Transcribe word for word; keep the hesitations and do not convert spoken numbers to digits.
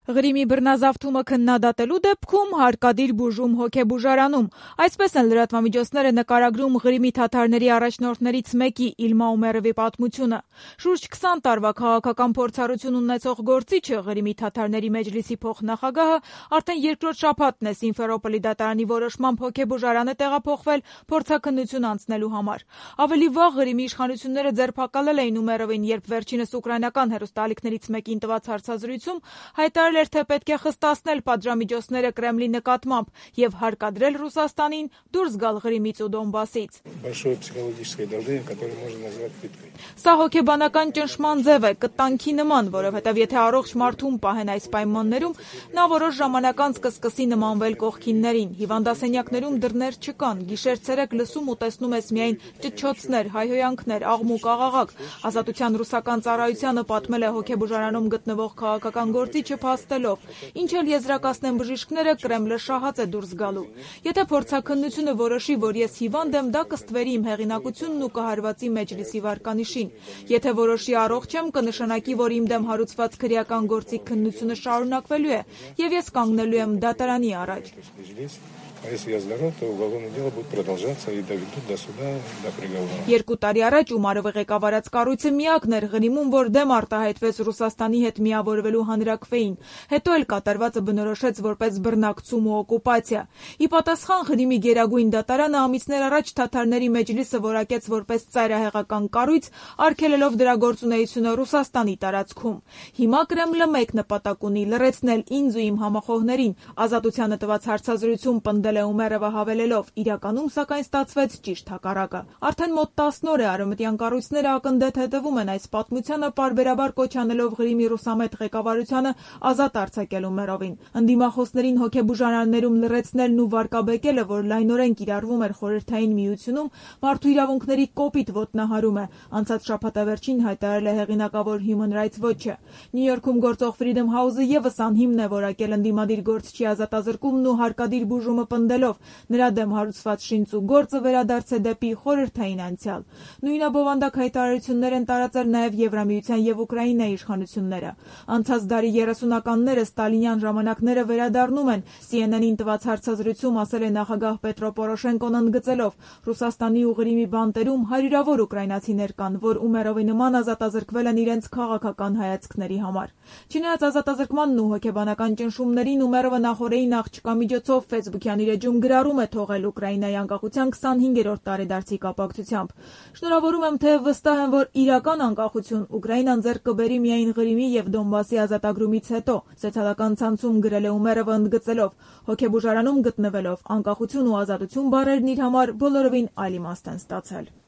Ղրիմի բռնազավթումը քննադատելու դեպքում հարկադիր բուժում հոգեբուժարանում։ Այսպես են լրատվամիջոցները նկարագրում Ղրիմի թաթարների առաջնորդներից մեկի Իլմա Ումերովի պատմությունը։ Շուրջ քսան տարվա քաղաքական փորձառություն ունեցող գործիչը, Ղրիմի թաթարների մեջլիսի փոխնախագահը, արդեն երկրորդ շաբաթն է Սիմֆերոպոլի դատարանի որոշմամբ հոգեբուժարան է տեղափոխվել փորձաքննություն անցնելու համար։ Ավելի վաղ Ղրիմի իշխանությունները ձերբակալել էին Ումերովին, երբ վերջինս ուկրաինական հեռուստաալիքներից մեկին տված հարցազրույցում հայտարարել էր, թե պետք է խստացնել պատժամիջոցները Կրեմլի նկատմամբ եւ հարկադրել Ռուսաստանին դուրս գալ Ղրիմից ու Դոնբասից։ Սա հոգեբանական ճնշման ձև է, կտանքի նման, որովհետեւ եթե առողջ մարդուն պահեն այս պայմաններում, նա որոշ ժամանակ անց կսկսի նմանվել կողքիններին։ Հիվանդասենյակներում դռներ չկան, գիշեր-ցերեկ լսում ու տեսնում ես միայն ճչոցներ, հայհոյանքներ, աղմուկ-աղաղակ։ Ազատության ռուսական ծառայությանը պատմել է հոգեբուժարանում գտնվող քաղաքական գործիչը փաստելով, ինչ էլ եզրակացնեն բժիշկները, Կրեմլը շահած է դուրս գալու։ Եթե փորձաքննությունը որոշի, որ ես հիվանդ եմ, դա կստվերի իմ հեղինակությունն ու կհարվածի մեջլիսի վարկանիշին։ Եթե որոշի առողջ եմ, կնշանակի, որ իմ դեմ հարուցված քրեական գործի քննությունը շարունակվելու է, եւ ես կանգնելու եմ դատարանի առաջ։ Երկու տարի առաջ Ումարովի ղեկավարած կառույցը միակն էր Ղրիմում, որ դեմ արտահայտվեց Ռուսաստանի հետ միավորվելու հանրաքվեին, հետո էլ կատարվածը բնորոշեց որպես բռնակցում ու օկուպացիա։ Ի պատասխան Ղրիմի գերագույն դատարանը ամիսներ առաջ թաթարների մեջլիսը որակեց որպես ծայրահեղական կառույց, արգելելով դրա գործունեությունը Ռուսաստանի տարածքում։ Հիմա Կրեմլը մեկ նպատակ ունի՝ լռեցնել ինձ ու իմ համախոհներին։ Ազատությանը տված հարցազրույցում պնդել է Ումերովը հավելելով. իրականում սակայն ստացվեց ճիշտ հակառակը։ Արդեն մոտ տասն օր է արևմտյան կառույցները ակնդեթ հետևում են այս պատմությանը, պարբերաբար կոչ անելով Ղրիմի ռուսամետ ղեկավարությանը ազատ արձակել Ումերովին։ Ընդդիմախոսներին հոգեբուժարաններում լռեցնելն ու վարկաբեկելը, որ լայնորեն կիրառվում էր Խորհրդային Միությունում, մարդու իրավունքների կոպիտ ոտնահարում է, անցած շաբաթավերջին հայտարարել է հեղինակավոր Human Rights Watch-ը։ Նյու Յորքում գործող Freedom House-ը ևս անհիմն է որակել ընդդիմադիր գործչի ազատազրկումն ու հարկադիր բուժումը պնդելով, նրա դեմ հարուցված շինծ ու գործը վերադարձ է դեպի խորհրդային անցյալ։ Նույնաբովանդակ հայտարարություններ են տարածել նաև Եվրամիության եւ Ուկրաինայի իշխանությունները։ Անցած դարի երեսունականները ստալինյան ժամանակները վերադառնում են, C N N-ին տված հարցազրույցում ասել է նախագահ Պետրո Պորոշենկոն ընդգծելով. Ռուսաստանի ու Ղրիմի բանտերում հարյուրավոր ուկրաինացիներ կան, որ Ումերովի նման ազատազրկվել են իրենց քաղաքական հայացքների համար։ Չնայած ազատազրկմանն ու հոգեբանական ճնշումներին, Ումերովը նախորդային աղջկա միջոցով Facebook-յան իր էջում գրառում է թողել Ուկրաինայի անկախության քսանհինգերորդ տարեդարձի կապակցությամբ։ Շնորհավորում եմ, թեև վստահ եմ, որ իրական անկախություն Ուկրաինան ձեռք կբերի միայն Ղրիմի եւ Դոնբասի ազատագրումից հետո, սոցիալական ցանցում գրել է Ումերովը ընդգծելով. հոգեբուժարանում գտնվելով անկախություն ու ազատություն բառերն իր համար բոլորովին այլ իմաստ են ստացել։